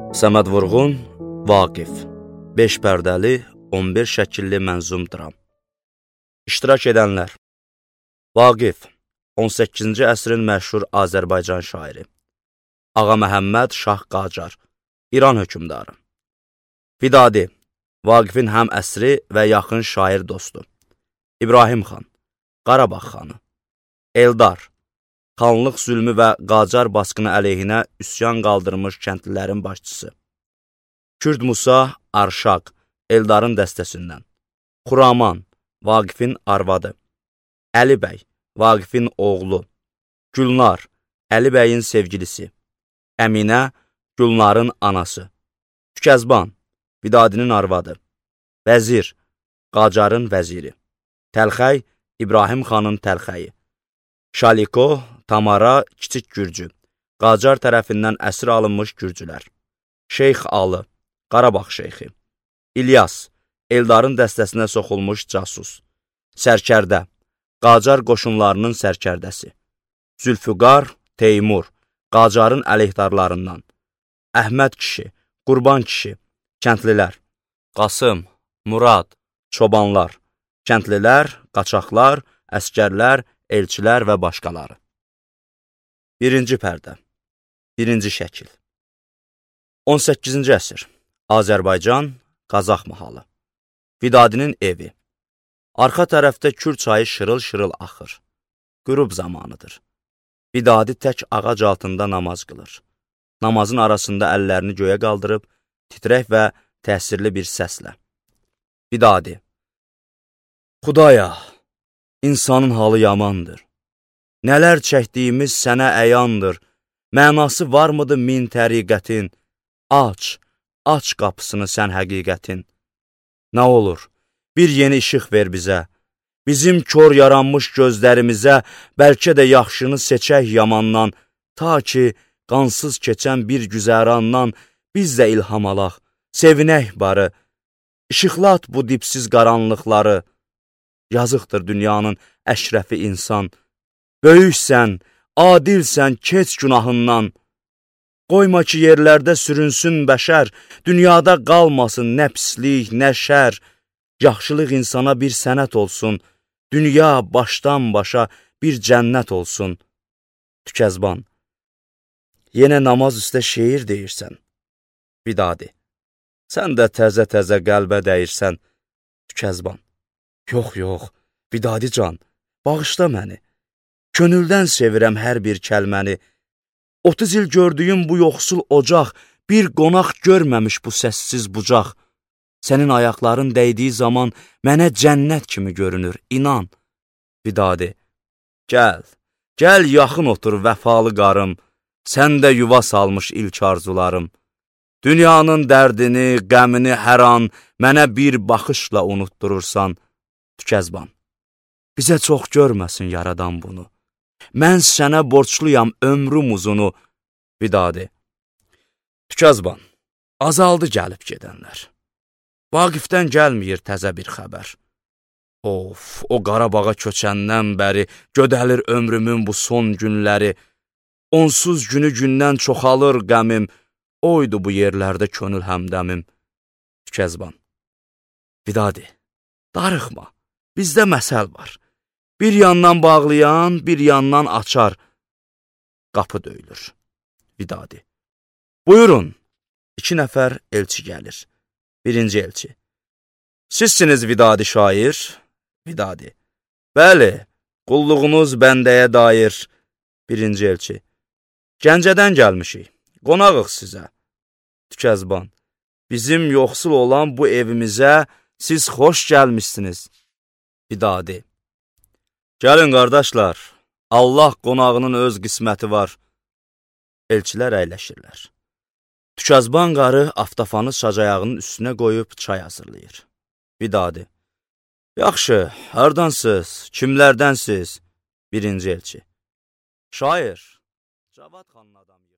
Səməd Vurğun, Vaqif 5 pərdəli, 11 şəkilli mənzum dram. İştirak edənlər: Vaqif, 18-ci əsrin məşhur Azərbaycan şairi. Ağa Məhəmməd Şah Qacar, İran hökümdarı. Vidadi, Vaqifin həm əsri və yaxın şair dostu. İbrahim xan, Qarabağ xanı. Eldar, xanlıq zülmü və Qacar basqını əleyhinə üsyan qaldırmış kəndlilərin başçısı. Kürd Musa, Arşaq, Eldarın dəstəsindən. Xuraman, Vaqifin arvadı. Əli bəy, Vaqifin oğlu. Gülnar, Əli bəyin sevgilisi. Əminə, Gülnarın anası. Tükəzban, Vidadinin arvadı. Vəzir, Qacarın vəziri. Təlxəy, İbrahim xanın təlxəyi. Şaliko, Tamara, Kiçik Gürcü, Qacar tərəfindən əsir alınmış gürcülər. Şeyx Alı, Qarabağ şeyxi. İlyas, Eldarın dəstəsinə soxulmuş casus. Sərkərdə, Qacar qoşunlarının sərkərdəsi. Zülfüqar, Teymur, Qacarın əleyhdarlarından. Əhməd kişi, Qurban kişi, kəndlilər. Qasım, Murad, çobanlar. Kəndlilər, qaçaqlar, əskərlər, elçilər və başqaları. Birinci pərdə, birinci şəkil. 18-ci əsr, Azərbaycan, Qazax mahalı. Vidadinin evi. Arxa tərəfdə Kür çayı şırıl-şırıl axır. Qürub zamanıdır. Vidadi tək ağac altında namaz qılır. Namazın arasında əllərini göyə qaldırıb, titrək və təsirli bir səslə. Vidadi. Xudaya, insanın halı yamandır. Nələr çəkdiyimiz sənə əyandır. Mənası varmıdır min təriqətin? Aç qapısını sən həqiqətin. Nə olur, bir yeni işıq ver bizə. Bizim kör yaranmış gözlərimizə bəlkə də yaxşını seçək yamandan, ta ki, qansız keçən bir güzərandan biz də ilham alaq, sevinək barı. İşıqlat bu dipsiz qaranlıqları. Yazıqdır dünyanın əşrəfi insan. Böyüksən, adilsən, keç günahından. Qoyma ki, yerlərdə sürünsün bəşər, dünyada qalmasın nə pislik, nə şər. Yaxşılıq insana bir sənət olsun, dünya başdan başa bir cənnət olsun. Tükəzban. Yenə namaz üstə şeir deyirsən. Vidadi. Sən də təzə-təzə qəlbə dəyirsən. Tükəzban. Yox, Vidadi can, bağışla məni. Könüldən sevirəm hər bir kəlməni. 30 il gördüyüm bu yoxsul ocaq, bir qonaq görməmiş bu səssiz bucaq. Sənin ayaqların dəydiyi zaman mənə cənnət kimi görünür, inan. Vidadi. Gəl yaxın otur vəfalı qarım. Sən də yuva salmış ilk arzularım. Dünyanın dərdini, qəmini hər an mənə bir baxışla unutdurursan. Tükəzban. Bizə çox görməsin yaradan bunu. Mən sənə borçluyam ömrüm uzunu. Vidadi. Tükəzban. Azaldı gəlib gedənlər. Vaqifdən gəlməyir təzə bir xəbər. Of, o Qarabağa köçəndən bəri gödəlir ömrümün bu son günləri. Onsuz günü gündən çoxalır qəmim. Oydu bu yerlərdə könül həmdəmim. Tükəzban. Vidadi. Darıxma. Bizdə məsəl var. Bir yandan bağlayan, bir yandan açar. Qapı döyülür. Vidadi. Buyurun. 2 nəfər elçi gəlir. Birinci elçi. Sizsiniz Vidadi şair? Vidadi. Bəli, qulluğunuz bəndəyə dair. Birinci elçi. Gəncədən gəlmişik. Qonağıq sizə. Tükəzban. Bizim yoxsul olan bu evimizə siz xoş gəlmişsiniz. Vidadi. Gəlin qardaşlar, Allah qonağının öz qisməti var. Elçilər əyləşirlər. Tükəzban qarı aftafanı sacayağının üstünə qoyub çay hazırlayır. Vidadi. Yaxşı, hardansınız, kimlərdənsiz? Birinci elçi. Şair. Cavad xanın adamı.